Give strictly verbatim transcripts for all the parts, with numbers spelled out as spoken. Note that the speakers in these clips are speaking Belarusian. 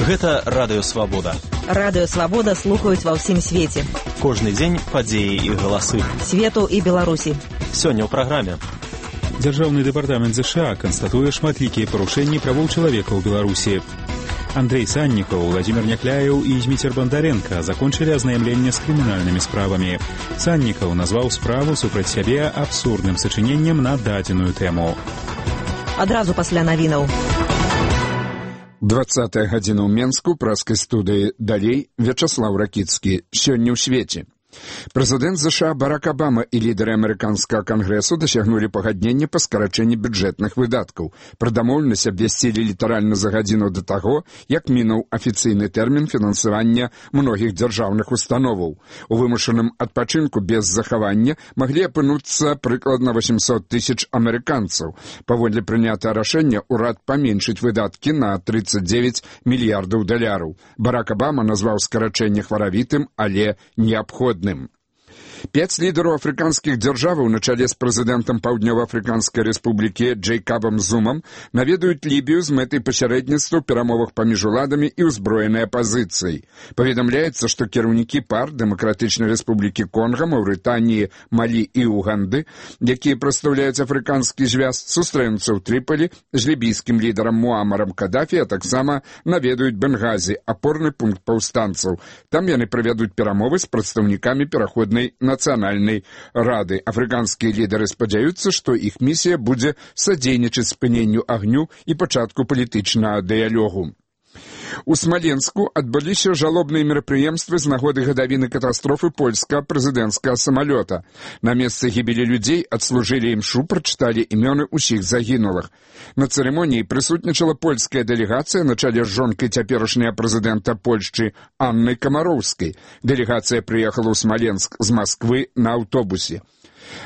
Гэта Радыё Свабода. Радыё Свабода слухаюць ва ўсім свеце. Кожны дзень падзеі і галасы. Свету і Беларусі. Сёння ў праграме. Дзяржаўны дэпартамент ЗША канстатуе шматлікія парушэнні правоў чалавека ў Беларусі. Андрей Саннікаў, Владимир Някляеў і Зміцер Бандаренко закончылі азнаямленне з крымінальнымі справамі. Саннікаў назваў справу супраць сябе абсурдным сачыненнем на дадзеную тэму. Адразу пасля навінаў. двадцатая гадзіна ў Менску, праскай студыі «Далей», Вячаслав Ракіцкі. Сёння ў свеце. Прэзідэнт ЗША Барак Абама і лідары амерыканскага кангрэсу дасягнулі пагаднення па скарачэнні бюджэтных выдаткаў. Пра дамоўленасць абвясцілі літаральна за гадзіну да таго, як мінуў афіцыйны тэрмін фінансавання многіх дзяржаўных установаў. У вымушаным адпачынку без захавання маглі апынуцца прыкладна восемьсот тысяч амерыканцаў. Паводле прынятага рашэння ўрад паменшыць выдаткі на тридцать девять мільярдаў даляраў. Барак Абама назваў скарачэнне хваравітым, але неабходным. Пяць лідараў афрыканскіх дзяржаваў на чале з прэзідэнтам Паўднёва-Афрыканскай рэспублікі Джэйкабам Зумам наведаюць Лібію з мэтай пасярэдніцтва ў перамовах паміж уладамі і ўзброенай апазіцыяй. Паведамляецца, што кіраўнікі пар Дэмакратычнай рэспублікі Конга, Маўрытаніі, Малі і Уганды, якія прадстаўляюць афрыканскі звяз, сустрэнуцца ў Трыполі з лібійскім лідарам Муамарам Кадафі, а таксама наведаюць Бенгазі, апорны пункт паўстанцаў. Там яны правядуць перамовы з прадстаўнікамі пераходнай нацыянальнай рады. Афрыканскія лідары спадзяюцца, што іх місія будзе садзейнічаць спыненню агню і пачатку палітычнага дыялогу. У Смаленску адбыліся жалобныя мерапрыемствы з нагоды гадавіны катастрофы польскага прэзідэнцкага самалёта. На месцы гібелі людзей адслужылі імшу, прачыталі імёны ўсіх загінулых. На цырымоніі прысутнічала польская дэлегацыя на чале з жонкай цяперашняга прэзідэнта Польшчы Аннай Камароўскай. Дэлегацыя прыехала ў Смаленск з Масквы на аўтобусе.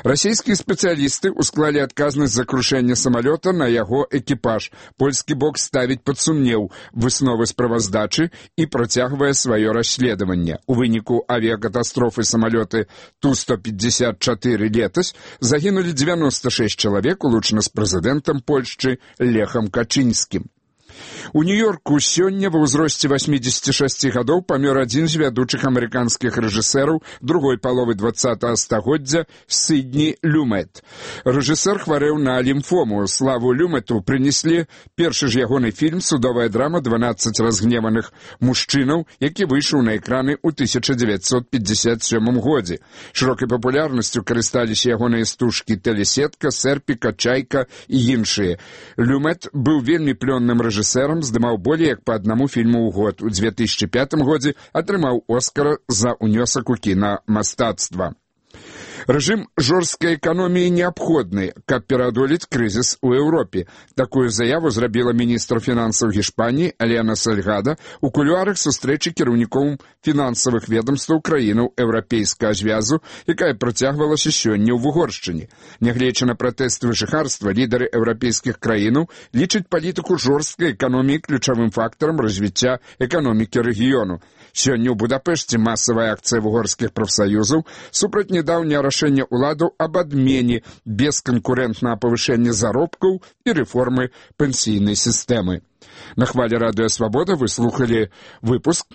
Расійскія спецыялісты ўсклалі адказнасць за крушэнне самалёта на яго экіпаж. Польскі бок ставіць пад сумнеў высновы справаздачы і працягвае сваё расследаванне. У выніку авіякатастрофы самалёты Ту сто пятьдесят четыре летась загінулі девяносто шесть чалавек, улучана з прэзідэнтам Польшчы Лехам Качынскім. У Нью-Йорку сёння ва ўзросце восьмидесяти шести гадоў памёр адзін з вядучых амерыканскіх рэжысэраў другой паловы двадцатага стагоддзя Сідні Люмет. Рэжысэр хварэў на лімфому. Славу Люмету прынеслі першы ж ягоны фільм «Судовая драма дванаццаць разгневаных мужчынаў», які выйшаў на экраны ў тысяча девятьсот пятьдесят сёмым годзе. Шырокай папулярнасцю карысталіся ягоныя стужкі «Тэлесетка», «Серпіка», «Чайка» і іншыя. Люмет быў вельмі плённым рэжысэрам, здымаў болей як па аднаму фільму ў год. У две тысячи пятым годзе атрымаў Оскара за ўнёсак у кінамастацтва. Рэжым жорсткай эканоміі неабходны, каб пераадолець крызіс у Еўропе. Такую заяву зрабіла міністр фінансаў Гішпаніі Алена Сальгада ў кулуарах сустрэчы кіраўнікоў фінансавых ведомстваў краінаў еўрапейскага звязу, якая працягвалася сёння ў Вугоршчыне. Нягледзячы на пратэсты жыхарства, лідары еўрапейскіх краінаў лічаць палітыку жорсткай эканоміі ключавым фактарам развіцця эканомікі рэгіёну. Сёння ў Будапешце масавая акцыя вугорскіх прафсаюзаў супраць нядаўняга рашэння ўладаў аб адмене бесканкурэнтнага павышэння заробкаў і рэформы пенсійнай сістэмы. На хвалі Радыё Свабода вы слухалі выпуск